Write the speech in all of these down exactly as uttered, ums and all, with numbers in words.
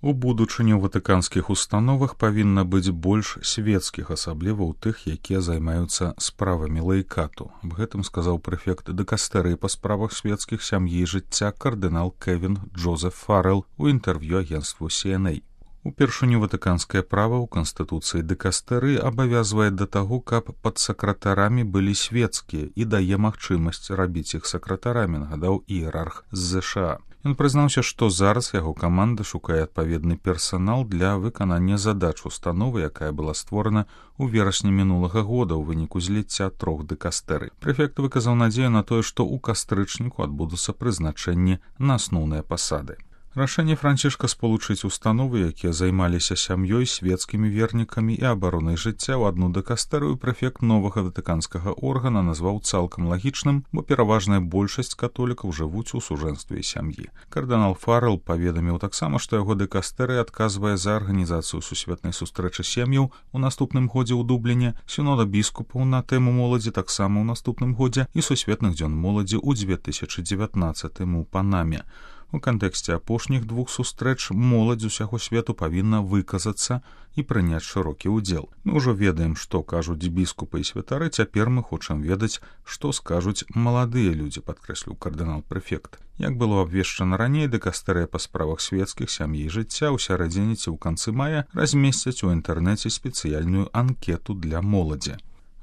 У будучыню ў ватыканскіх установах павінна быць больш свецкіх, асабліва ў тых, якія займаюцца справамі лаікату. Аб гэтым сказаў прэфект дыкастэрыі па справах свецкіх сям'і і жыцця кардынал Кевін Джозеф Фаррелл у інтэрв'ю агенцтву Си Эн Эй. Упершыню ватыканскае права ў канстытуцыі дыкастэрыі абавязвае да таго, каб падсакратарамі былі свецкія і дае магчымасць рабіць іх сакратарамі, нагадаў іерарх з Зэ Ша А. Ён прызнаўся, што зараз яго каманда шукае адпаведны персанал для выканання задач установы, якая была створана ў верасні мінулага года ў выніку зліцця трох дыкастэрый. Прэфект выказаў надзею на тое, што ў кастрычніку адбудуцца прызначэнні на асноўныя пасады. Рашэнне Францішка спалучыць установы, якія займаліся сям'ёй, свецкімі вернікамі і абаронай жыцця ў адну дыкастэрыю, прэфект новага ватыканскага органа назваў цалкам лагічным, бо пераважная большасць католікаў жывуць у сужэнстве сям'і. Кардынал Фаррелл паведаміў таксама, што яго дыкастэрыя адказвае за арганізацыю сусветнай сустрэчы сем'яў у наступным годзе ў Дубліне, сінода біскупаў на тэму моладзі таксама ў наступным годзе і сусветных дзён моладзі ў дзве тысячы дзевятнаццатым у Панаме. У кантэксце апошніх двух сустрэч моладзь усяго свету павінна выказацца і прыняць шырокі ўдзел. Мы ўжо ведаем, што кажуць біскупы і святары, цяпер мы хочам ведаць, што скажуць маладыя людзі, падкрэсліў кардынал-прэфект. Як было абвешчана раней, дыкастэрыя па справах свецкіх сям'і і жыцця ў сярэдзіне ці ў канцы мая размесцяць у інтэрнэце спецыяльную анкету для моладзі.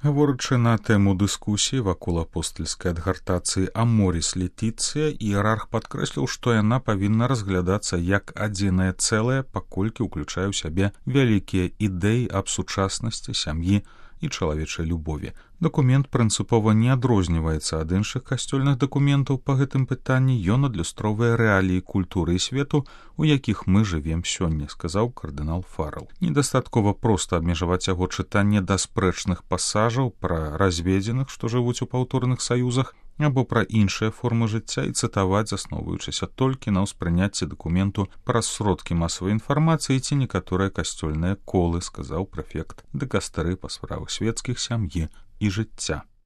Гаворачы на тэму дыскусіі вакол апостальскай адгартацыі Аморіс Летіцыя, іерарх падкрэсліў, што яна павінна разглядацца як адзінае цэлае, паколькі ўключае ў сябе вялікія ідэі аб сучаснасці, сям'і і чалавечай любові. Дакумент прынцыпова не адрозніваецца ад іншых касцёльных дакументаў па гэтым пытанні, ён адлюстроўвае рэаліі культуры і свету, у якіх мы жывем сёння, сказаў кардынал Фаррелл. Недастаткова проста абмежаваць яго чытанне да спрэчных пасажаў пра разведзеных, што жывуць у паўторных саюзах, або пра іншыя формы жыцця і цытаваць, засноўваючыся толькі на ўспрыняцці дакументу праз сродкі масавай інфармацыі ці некаторыя касцёльныя колы, сказаў прэфект дыкастэрыі па справах свецкіх сям'і і жыцця.